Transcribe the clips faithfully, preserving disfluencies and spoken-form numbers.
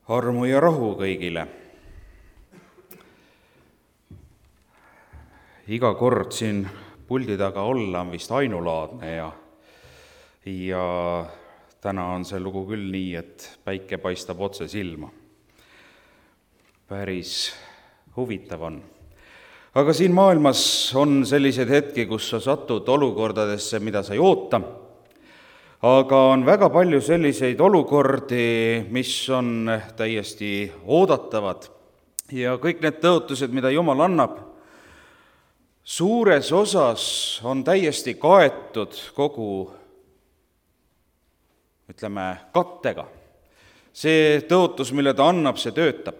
Armu ja rahu kõigile. Iga kord siin puldi taga olla on vist ainulaadne ja, ja täna on see lugu küll nii, et päike paistab otse silma. Päris huvitav on. Aga siin maailmas on sellised hetki, kus sa satud olukordadesse, mida sa ei oota, aga on väga palju selliseid olukordi, mis on täiesti oodatavad ja kõik need tõotused, mida Jumal annab, suures osas on täiesti kaetud kogu, ütleme, kattega. See tõotus, mille ta annab, see töötab.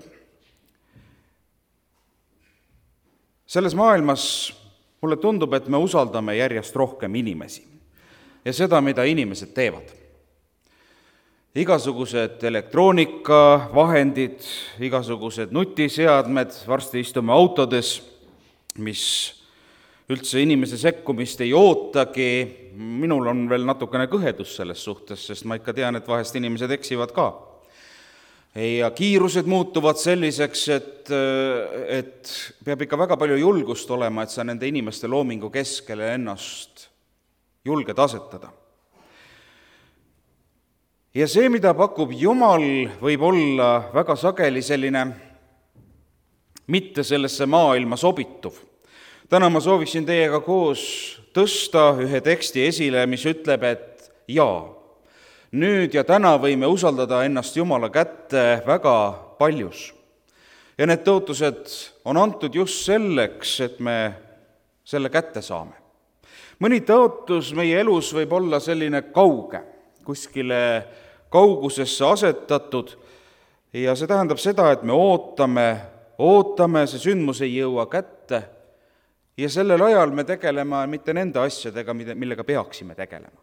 Selles maailmas mulle tundub, et me usaldame järjest rohkem inimesi ja seda, mida inimesed teevad. Igasugused elektroonikavahendid, igasugused nutiseadmed, varsti istume autodes, mis üldse inimese sekkumist ei ootagi. Minul on veel natukene kõhedus selles suhtes, sest ma ikka tean, et vahest inimesed eksivad ka. Ja kiirused muutuvad selliseks, et, et peab ikka väga palju julgust olema, et sa nende inimeste loomingu keskele ennast julged asetada. Ja see, mida pakub Jumal, võib olla väga sageli selline mitte sellesse maailma sobituv. Täna ma sooviksin teiega koos tõsta ühe teksti esile, mis ütleb, et jaa, nüüd ja täna võime usaldada ennast Jumala kätte väga paljus. Ja need tõotused on antud just selleks, et me selle kätte saame. Mõni tõotus meie elus võib olla selline kauge, kuskile kaugusesse asetatud ja see tähendab seda, et me ootame, ootame, see sündmus ei jõua kätte ja sellel ajal me tegeleme mitte nende asjadega, millega peaksime tegelema.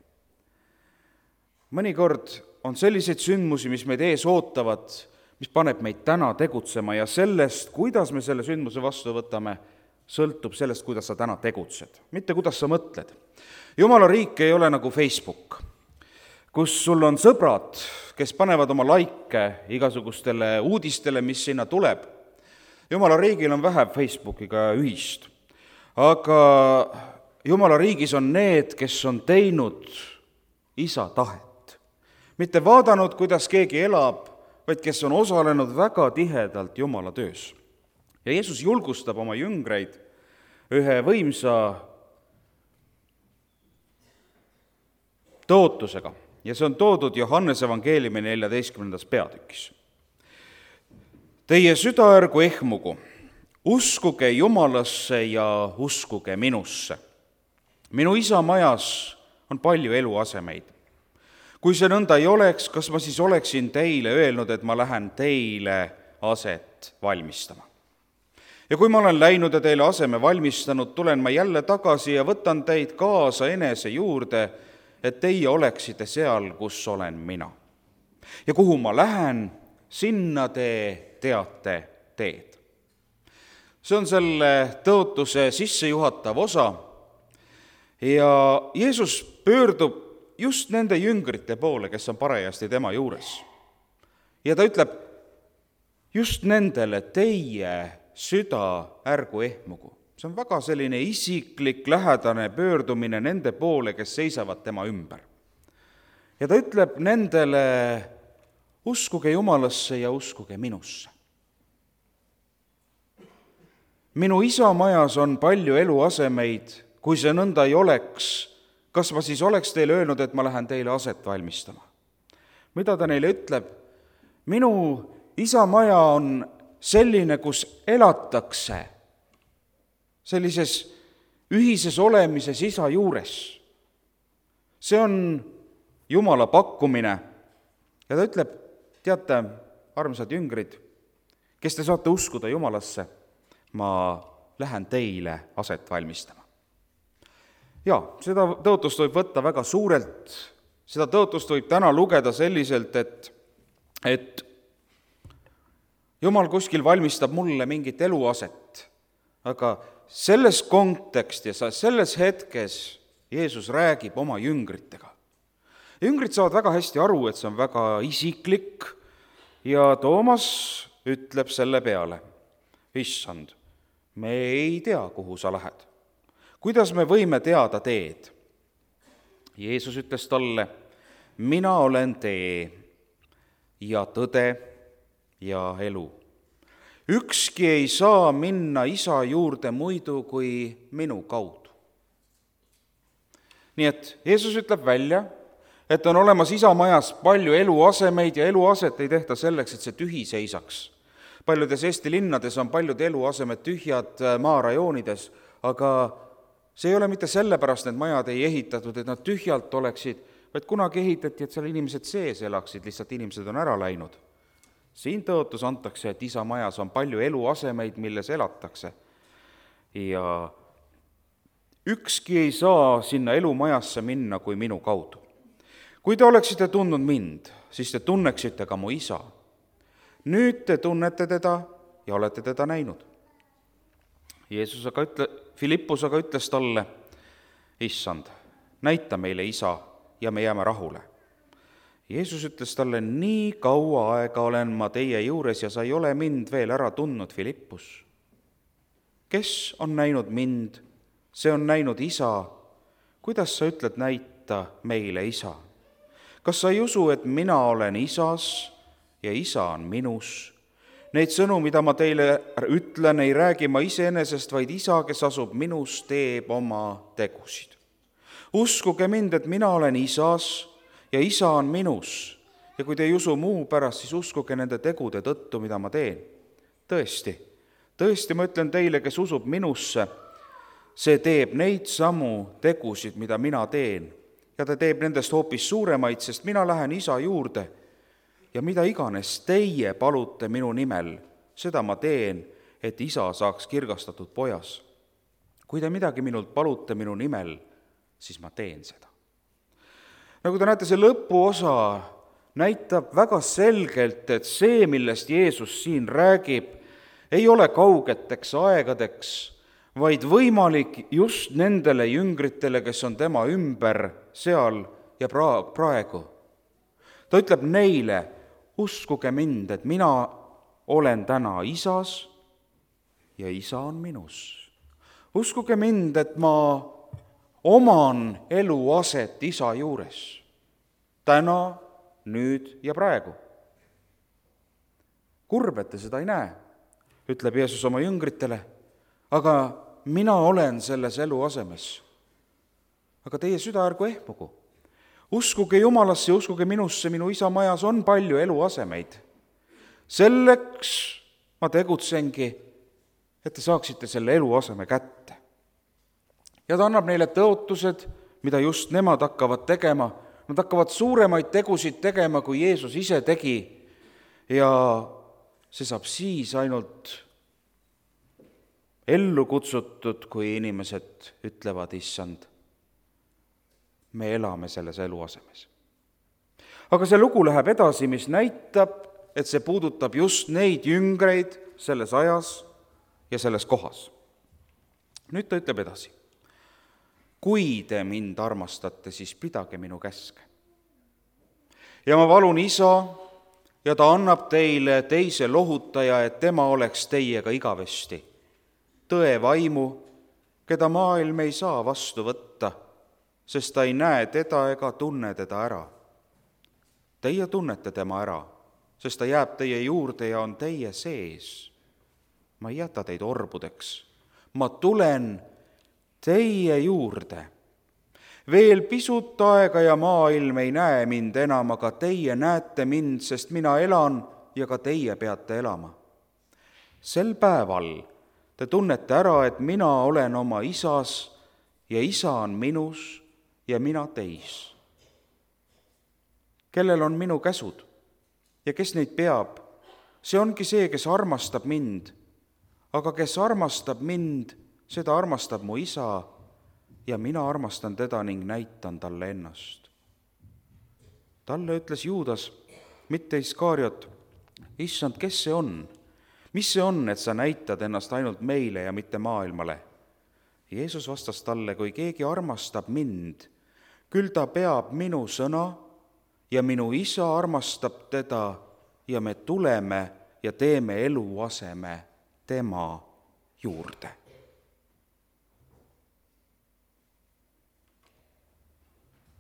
Mõnikord on selliseid sündmusi, mis meid ees ootavad, mis paneb meid täna tegutsema ja sellest, kuidas me selle sündmuse vastu võtame, sõltub sellest, kuidas sa täna tegutsed, mitte kuidas sa mõtled. Jumala riik ei ole nagu Facebook, kus sul on sõbrad, kes panevad oma laike igasugustele uudistele, mis sinna tuleb. Jumala riigil on vähe Facebookiga ühist, aga Jumala riigis on need, kes on teinud isa tahet. Mitte vaadanud, kuidas keegi elab, vaid kes on osalenud väga tihedalt Jumala töös. Ja Jeesus julgustab oma jüngreid ühe võimsa tõotusega ja see on toodud Johannese evangeeliumi neljateistkümnendas peatükis. Teie süda ärgu ehmugu, uskuge Jumalasse ja uskuge minusse. Minu isa majas on palju eluasemeid. Kui see nõnda ei oleks, kas ma siis oleksin teile öelnud, et ma lähen teile aset valmistama? Ja kui ma olen läinud ja teile aseme valmistanud, tulen ma jälle tagasi ja võtan teid kaasa enese juurde, et teie oleksite seal, kus olen mina. Ja kuhu ma lähen, sinna te teate teed. See on selle tõotuse sissejuhatav osa ja Jeesus pöördub just nende jüngrite poole, kes on parajasti tema juures. Ja ta ütleb just nendele, teie süda ärgu ehmugu. See on väga selline isiklik, lähedane pöördumine nende poole, kes seisavad tema ümber. Ja ta ütleb nendele, uskuge Jumalasse ja uskuge minusse. Minu isa majas on palju eluasemeid, kui see nõnda ei oleks, kas ma siis oleks teile öelnud, et ma lähen teile aset valmistama? Mida ta neile ütleb? Minu isa maja on selline, kus elatakse sellises ühises olemises isa juures. See on Jumala pakkumine ja ta ütleb, teate, armsad jüngrid, kes te saate uskuda Jumalasse, ma lähen teile aset valmistama. Ja, seda tõotust võib võtta väga suurelt, seda tõotust võib täna lugeda selliselt, et, et Jumal kuskil valmistab mulle mingit eluaset, aga selles kontekstis, selles hetkes Jeesus räägib oma jüngritega. Jüngrid saavad väga hästi aru, et see on väga isiklik ja Toomas ütleb selle peale, issand, me ei tea, kuhu sa lähed. Kuidas me võime teada teed? Jeesus ütles talle, mina olen tee ja tõde ja elu. Ükski ei saa minna isa juurde muidu kui minu kaudu. Nii et Jeesus ütleb välja, et on olemas isa majas palju eluasemeid ja eluaset ei tehta selleks, et see tühi seisaks. Paljudes Eesti linnades on paljud eluasemed tühjad maarajoonides, aga see ei ole mitte sellepärast, et majad ei ehitatud, et nad tühjalt oleksid, vaid kunagi ehitati, et seal inimesed sees elaksid, lihtsalt inimesed on ära läinud. Siin tõotus antakse, et isa majas on palju eluasemeid, milles elatakse. Ja ükski ei saa sinna elumajasse minna kui minu kaudu. Kui te oleksite tundnud mind, siis te tunneksite ka mu isa. Nüüd te tunnete teda ja olete teda näinud. Jeesus aga ütle, Filippus aga ütles talle, issand, näita meile isa ja me jääme rahule. Jeesus ütles talle, nii kaua aega olen ma teie juures ja sa ei ole mind veel ära tundnud, Filippus. Kes on näinud mind, see on näinud isa. Kuidas sa ütled, näita meile isa? Kas sa ei usu, et mina olen isas ja isa on minus? Neid sõnu, mida ma teile ütlen, ei räägi ma iseenesest, vaid isa, kes asub minus, teeb oma tegusid. Uskuge mind, et mina olen isas ja isa on minus. Ja kui te ei usu muu pärast, siis uskuge nende tegude tõttu, mida ma teen. Tõesti, tõesti ma ütlen teile, kes usub minusse, see teeb neid samu tegusid, mida mina teen. Ja ta teeb nendest hoopis suuremaid, sest mina lähen isa juurde. Ja mida iganes teie palute minu nimel, seda ma teen, et isa saaks kirgastatud pojas. Kui te midagi minult palute minu nimel, siis ma teen seda. Nagu te näete, see lõpuosa näitab väga selgelt, et see, millest Jeesus siin räägib, ei ole kaugeteks aegadeks, vaid võimalik just nendele jüngritele, kes on tema ümber seal ja praegu. Ta ütleb neile, uskuge mind, et mina olen täna isas ja isa on minus. Uskuge mind, et ma oman eluaset isa juures. Täna, nüüd ja praegu. Kurb, et te seda ei näe, ütleb Jeesus oma jüngritele, aga mina olen selles eluasemes. Aga teie süda ärgu ehmugu. Uskuge Jumalasse ja uskuge minusse, minu isa majas on palju eluasemeid. Selleks ma tegutsengi, et te saaksite selle eluaseme kätte. Ja ta annab neile tõotused, mida just nemad hakkavad tegema. Nad hakkavad suuremaid tegusid tegema, kui Jeesus ise tegi. Ja see saab siis ainult ellu kutsutud, kui inimesed ütlevad, issand, me elame selles eluasemes. Aga see lugu läheb edasi, mis näitab, et see puudutab just neid jüngreid selles ajas ja selles kohas. Nüüd ta ütleb edasi. Kui te mind armastate, siis pidage minu käske. Ja ma palun isa, ja ta annab teile teise lohutaja, et tema oleks teiega igavesti. Tõe vaimu, keda maailm ei saa vastu võtta, sest ta ei näe teda ega tunne teda ära. Teie tunnete tema ära, sest ta jääb teie juurde ja on teie sees. Ma ei jäta teid orbudeks. Ma tulen teie juurde. Veel pisut aega ja maailm ei näe mind enam, aga teie näete mind, sest mina elan ja ka teie peate elama. Sel päeval te tunnete ära, et mina olen oma isas ja isa on minus ja mina teis. Kellel on minu käsud ja kes neid peab, see ongi see, kes armastab mind, aga kes armastab mind, seda armastab mu isa ja mina armastan teda ning näitan talle ennast. Talle ütles Juudas, mitte Iskariot, issand, kes see on? Mis see on, et sa näitad ennast ainult meile ja mitte maailmale? Jeesus vastas talle, kui keegi armastab mind, küll ta peab minu sõna ja minu isa armastab teda ja me tuleme ja teeme eluaseme tema juurde.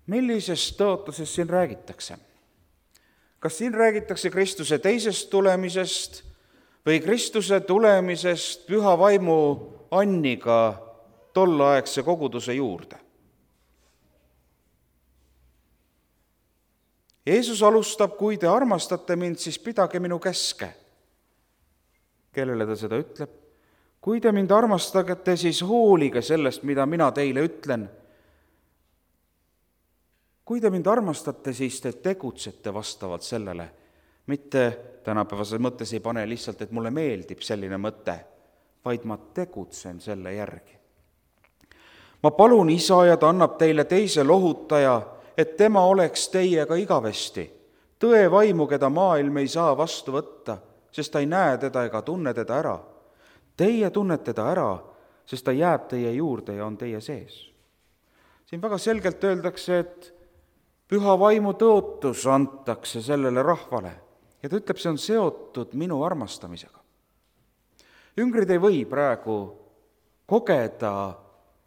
Millisest tõotusest siin räägitakse? Kas siin räägitakse Kristuse teisest tulemisest või Kristuse tulemisest püha vaimu anniga tolleaegse koguduse juurde? Jeesus alustab, kui te armastate mind, siis pidage minu käske. Kellele ta seda ütleb? Kui te mind armastate, siis hoolige sellest, mida mina teile ütlen. Kui te mind armastate, siis te tegutsete vastavalt sellele. Mitte tänapäevases mõttes ei pane lihtsalt, et mulle meeldib selline mõte, vaid ma tegutsen selle järgi. Ma palun Isa ja ta annab teile teise lohutaja, et tema oleks teiega igavesti. Tõe vaimu, keda maailm ei saa vastu võtta, sest ta ei näe teda ega tunne teda ära. Teie tunnete teda ära, sest ta jääb teie juurde ja on teie sees. Siin väga selgelt öeldakse, et püha vaimu tõotus antakse sellele rahvale ja ta ütleb, see on seotud minu armastamisega. Jüngrid ei või praegu kogeda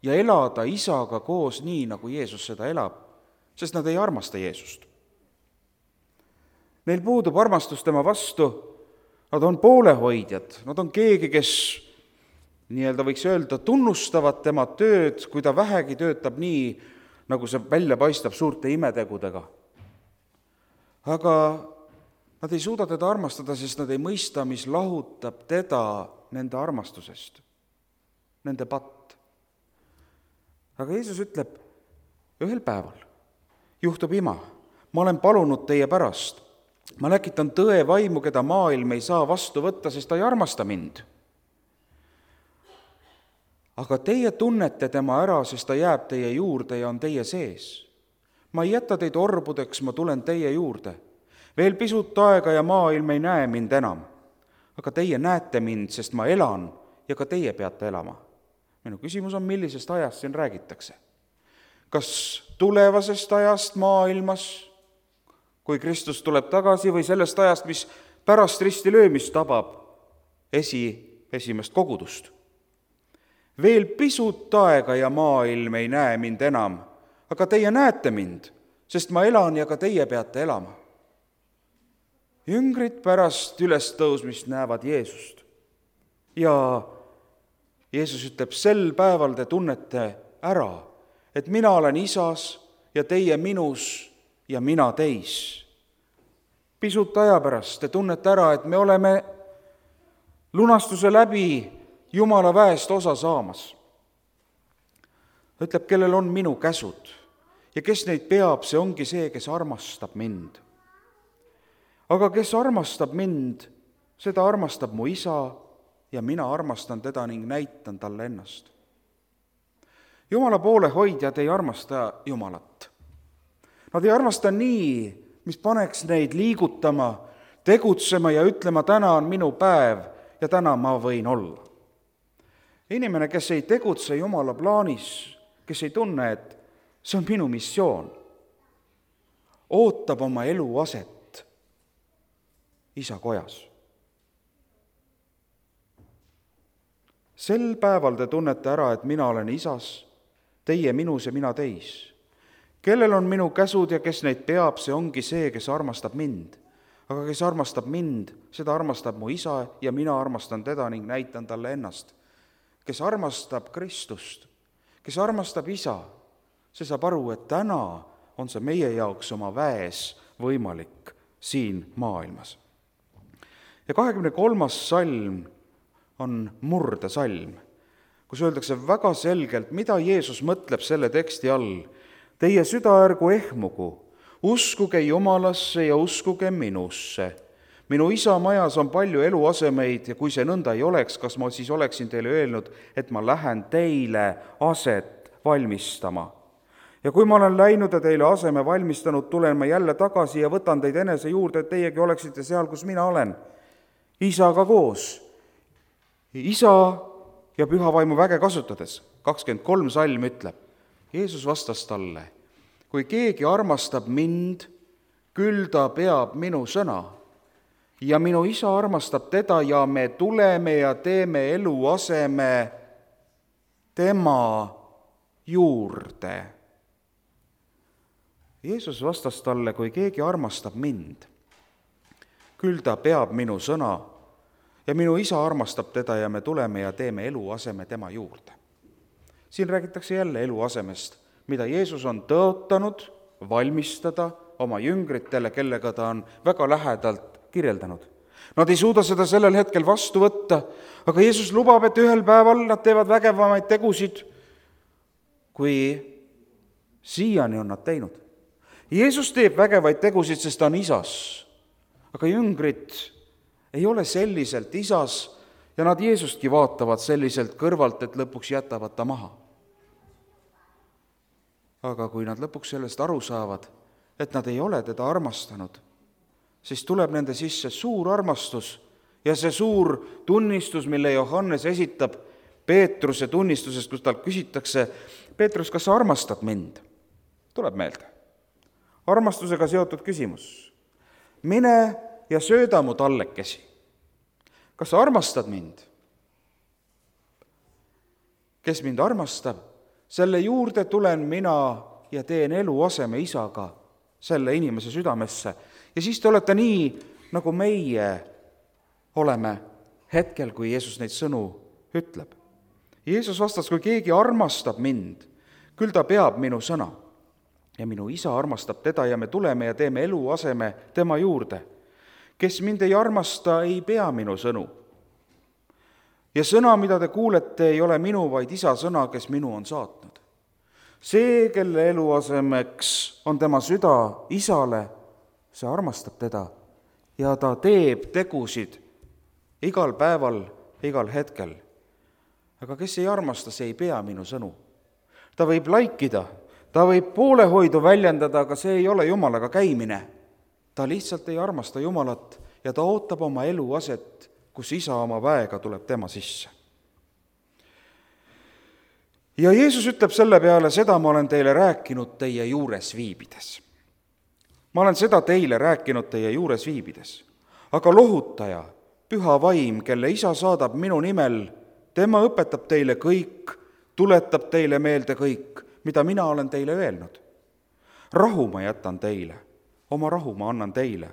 ja elada Isaga koos nii, nagu Jeesus seda elab, sest nad ei armasta Jeesust. Neil puudub armastus tema vastu, nad on poolehoidjad, nad on keegi, kes nii-öelda võiks öelda, tunnustavad tema tööd, kui ta vähegi töötab nii, nagu see välja paistab suurte imetegudega. Aga nad ei suuda teda armastada, sest nad ei mõista, mis lahutab teda nende armastusest, nende patt. Aga Jeesus ütleb, ühel päeval juhtub ima, ma olen palunud teie pärast. Ma läkitan tõe vaimu, keda maailm ei saa vastu võtta, sest ta ei armasta mind. Aga teie tunnete tema ära, sest ta jääb teie juurde ja on teie sees. Ma ei jäta teid orbudeks, ma tulen teie juurde. Veel pisut aega ja maailm ei näe mind enam. Aga teie näete mind, sest ma elan ja ka teie peate elama. Minu küsimus on, millisest ajast siin räägitakse? Kas tulevasest ajast maailmas, kui Kristus tuleb tagasi, või sellest ajast, mis pärast risti löömist tabab esi, esimest kogudust? Veel pisut aega ja maailm ei näe mind enam, aga teie näete mind, sest ma elan ja ka teie peate elama. Jüngrid pärast ülestõusmist näevad Jeesust ja Jeesus ütleb, sel päeval te tunnete ära, et mina olen Isas ja teie minus ja mina teis. Pisut aja pärast te tunnete ära, et me oleme lunastuse läbi Jumala väest osa saamas. Ütleb, kellel on minu käsud ja kes neid peab, see ongi see, kes armastab mind. Aga kes armastab mind, seda armastab mu Isa ja mina armastan teda ning näitan talle ennast. Jumala poolehoidjad ei armasta Jumalat. Nad ei armasta nii, mis paneks neid liigutama, tegutsema ja ütlema, täna on minu päev ja täna ma võin olla. Inimene, kes ei tegutse Jumala plaanis, kes ei tunne, et see on minu missioon, ootab oma elu aset Isa kojas. Sel päeval te tunnete ära, et mina olen Isas, teie minus ja mina teis. Kellel on minu käsud ja kes neid peab, see ongi see, kes armastab mind. Aga kes armastab mind, seda armastab mu Isa ja mina armastan teda ning näitan talle ennast. Kes armastab Kristust, kes armastab Isa, see saab aru, et täna on see meie jaoks oma väes võimalik siin maailmas. Ja kahekümne kolmas salm on murdesalm, kus öeldakse väga selgelt, mida Jeesus mõtleb selle teksti all. Teie süda ärgu ehmugu, uskuge Jumalasse ja uskuge minusse. Minu Isa majas on palju eluasemeid ja kui see nõnda ei oleks, kas ma siis oleksin teile öelnud, et ma lähen teile aset valmistama. Ja kui ma olen läinud ja teile aseme valmistanud, tulen ma jälle tagasi ja võtan teid enese juurde, et teiegi oleksite seal, kus mina olen. Isaga koos. Isa ja püha vaimu väge kasutades. kakskümmend kolm salm ütleb, Jeesus vastas talle, kui keegi armastab mind, küll ta peab minu sõna ja minu isa armastab teda ja me tuleme ja teeme eluaseme tema juurde. Jeesus vastas talle, kui keegi armastab mind, küll ta peab minu sõna ja minu isa armastab teda ja me tuleme ja teeme eluaseme tema juurde. Siin räägitakse jälle eluasemest, mida Jeesus on tõotanud valmistada oma jüngritele, kellega ta on väga lähedalt kirjeldanud. Nad ei suuda seda sellel hetkel vastu võtta, aga Jeesus lubab, et ühel päeval nad teevad vägevamaid tegusid, kui siiani on nad teinud. Jeesus teeb vägevaid tegusid, sest ta on isas, aga jüngrid ei ole selliselt isas ja nad Jeesustki vaatavad selliselt kõrvalt, et lõpuks jätavad ta maha. Aga kui nad lõpuks sellest aru saavad, et nad ei ole teda armastanud, siis tuleb nende sisse suur armastus ja see suur tunnistus, mille Johannes esitab Peetruse tunnistusest, kus talt küsitakse, Peetrus, kas sa armastad mind? Tuleb meelde. Armastusega seotud küsimus. Mine ja sööda mu tallekesi. Kas sa armastad mind? Kes mind armastab, selle juurde tulen mina ja teen eluaseme isaga selle inimese südamesse. Ja siis te olete nii, nagu meie oleme hetkel, kui Jeesus neid sõnu ütleb. Jeesus vastas, kui keegi armastab mind, küll ta peab minu sõna. Ja minu isa armastab teda ja me tuleme ja teeme eluaseme tema juurde. Kes mind ei armasta, ei pea minu sõnu. Ja sõna, mida te kuulete, ei ole minu, vaid isa sõna, kes minu on saatnud. See, kelle eluasemeks on tema süda isale, see armastab teda ja ta teeb tegusid igal päeval, igal hetkel. Aga kes ei armasta, see ei pea minu sõnu. Ta võib laikida, ta võib poolehoidu väljendada, aga see ei ole Jumalaga käimine. Ta lihtsalt ei armasta Jumalat ja ta ootab oma eluaset, kus isa oma väega tuleb tema sisse. Ja Jeesus ütleb selle peale, seda ma olen teile rääkinud teie juures viibides. Ma olen seda teile rääkinud teie juures viibides, aga lohutaja, püha vaim, kelle isa saadab minu nimel, tema õpetab teile kõik, tuletab teile meelde kõik, mida mina olen teile öelnud. Rahu ma jätan teile, oma rahu ma annan teile.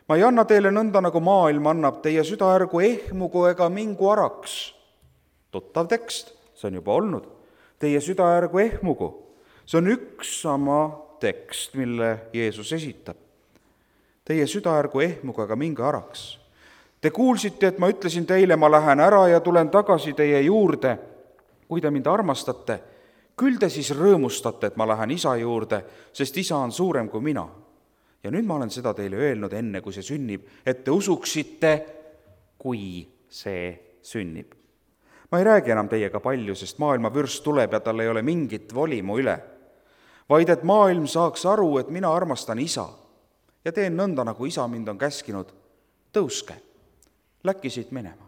Ma ei anna teile nõnda, nagu maailm annab, teie süda ärgu ehmugu ega mingu araks. Tuttav tekst, see on juba olnud. Teie süda ärgu ehmugu. See on üks sama tekst, mille Jeesus esitab. Teie süda ärgu ehmugu ega mingi araks. Te kuulsite, et ma ütlesin teile, ma lähen ära ja tulen tagasi teie juurde. Kui te mind armastate, küll te siis rõõmustate, et ma lähen isa juurde, sest isa on suurem kui mina. Ja nüüd ma olen seda teile öelnud enne, kui see sünnib, et te usuksite, kui see sünnib. Ma ei räägi enam teiega palju, sest maailma vürst tuleb ja tal ei ole mingit voli mu üle, vaid et maailm saaks aru, et mina armastan isa ja teen nõnda, nagu isa mind on käskinud. Tõuske, läkki siit minema.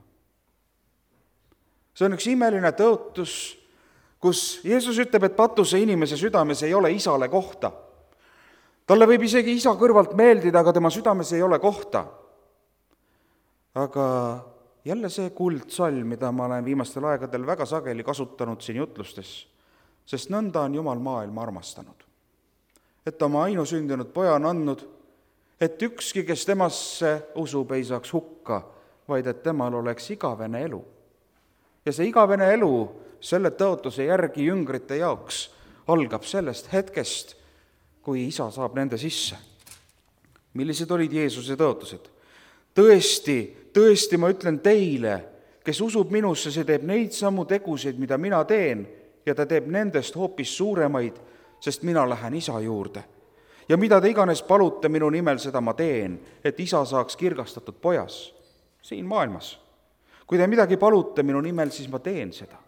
See on üks imeline tõotus, kus Jeesus ütleb, et patuse inimese südames ei ole isale kohta. Talle võib isegi isa kõrvalt meeldida, aga tema südames ei ole kohta. Aga jälle see kuldsalm, mida ma olen viimastel aegadel väga sageli kasutanud siin jutlustes, sest nõnda on Jumal maailma armastanud. Et oma ainusündinud poja on andnud, et ükski, kes temasse usub, ei saaks hukka, vaid et temal oleks igavene elu. Ja see igavene elu selle tõotuse järgi jüngrite jaoks algab sellest hetkest, kui isa saab nende sisse. Millised olid Jeesuse tõotused? Tõesti, tõesti ma ütlen teile, kes usub minusse, see teeb neid samu tegusid, mida mina teen, ja ta teeb nendest hoopis suuremaid, sest mina lähen isa juurde. Ja mida te iganes palute minu nimel, seda ma teen, et isa saaks kirgastatud pojas siin maailmas. Kui te midagi palute minu nimel, siis ma teen seda.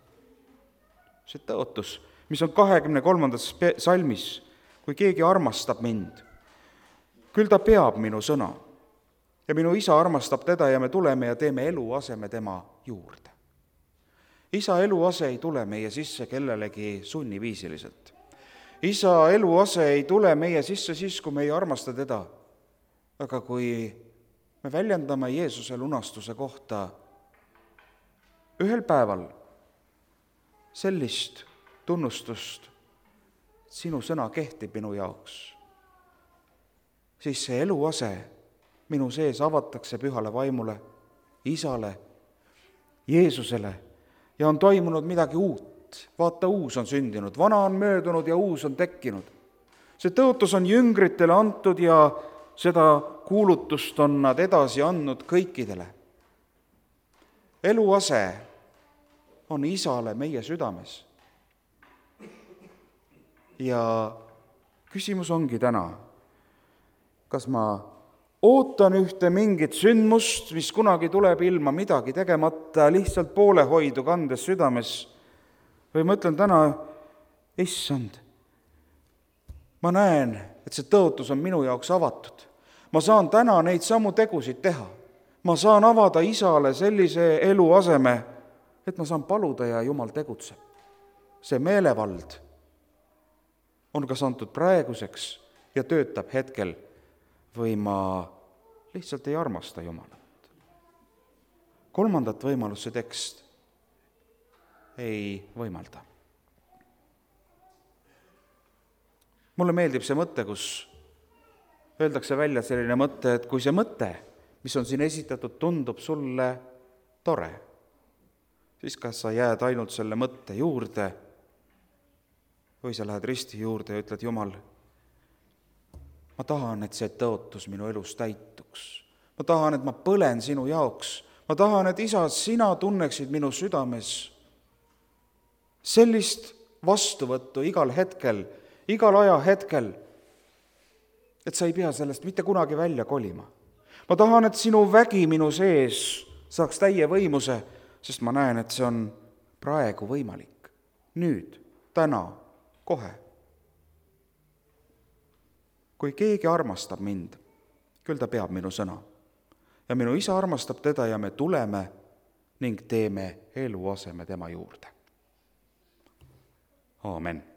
See tõotus, mis on kahekümne kolmandas salmis, kui keegi armastab mind, küll ta peab minu sõna. Ja minu isa armastab teda ja me tuleme ja teeme eluaseme tema juurde. Isa eluase ei tule meie sisse kellelegi sunniviisiliselt. Isa eluase ei tule meie sisse siis, kui me ei armasta teda. Aga kui me väljendame Jeesuse lunastuse kohta ühel päeval sellist tunnustust, sinu sõna kehtib minu jaoks, siis see eluase minu sees avatakse pühale vaimule, Isale, Jeesusele ja on toimunud midagi uut. Vaata, uus on sündinud, vana on möödunud ja uus on tekkinud. See tõotus on jüngritele antud ja seda kuulutust on nad edasi andnud kõikidele. Eluase on Isale meie südames. Ja küsimus ongi täna, kas ma ootan ühte mingit sündmust, mis kunagi tuleb ilma midagi tegemata, lihtsalt poolehoidu kandes südames, või ma ütlen täna, issand, ma näen, et see tõotus on minu jaoks avatud. Ma saan täna neid samu tegusid teha. Ma saan avada Isale sellise eluaseme, et ma saan paluda ja Jumal tegutseb. See meelevald on kas antud praeguseks ja töötab hetkel või ma lihtsalt ei armasta Jumalat. Kolmandat võimalust see tekst ei võimalda. Mulle meeldib see mõte, kus öeldakse välja selline mõte, et kui see mõte, mis on siin esitatud, tundub sulle tore, siis kas sa jääd ainult selle mõtte juurde või sa lähed risti juurde ja ütled, Jumal, ma tahan, et see tõotus minu elus täituks. Ma tahan, et ma põlen sinu jaoks. Ma tahan, et Isa, sina tunneksid minu südames sellist vastuvõttu igal hetkel, igal ajahetkel, et sa ei pea sellest mitte kunagi välja kolima. Ma tahan, et sinu vägi minu sees saaks täie võimuse, sest ma näen, et see on praegu võimalik. Nüüd, täna, kohe. Kui keegi armastab mind, küll ta peab minu sõna. Ja minu Isa armastab teda ja me tuleme ning teeme eluaseme tema juurde. Aamen.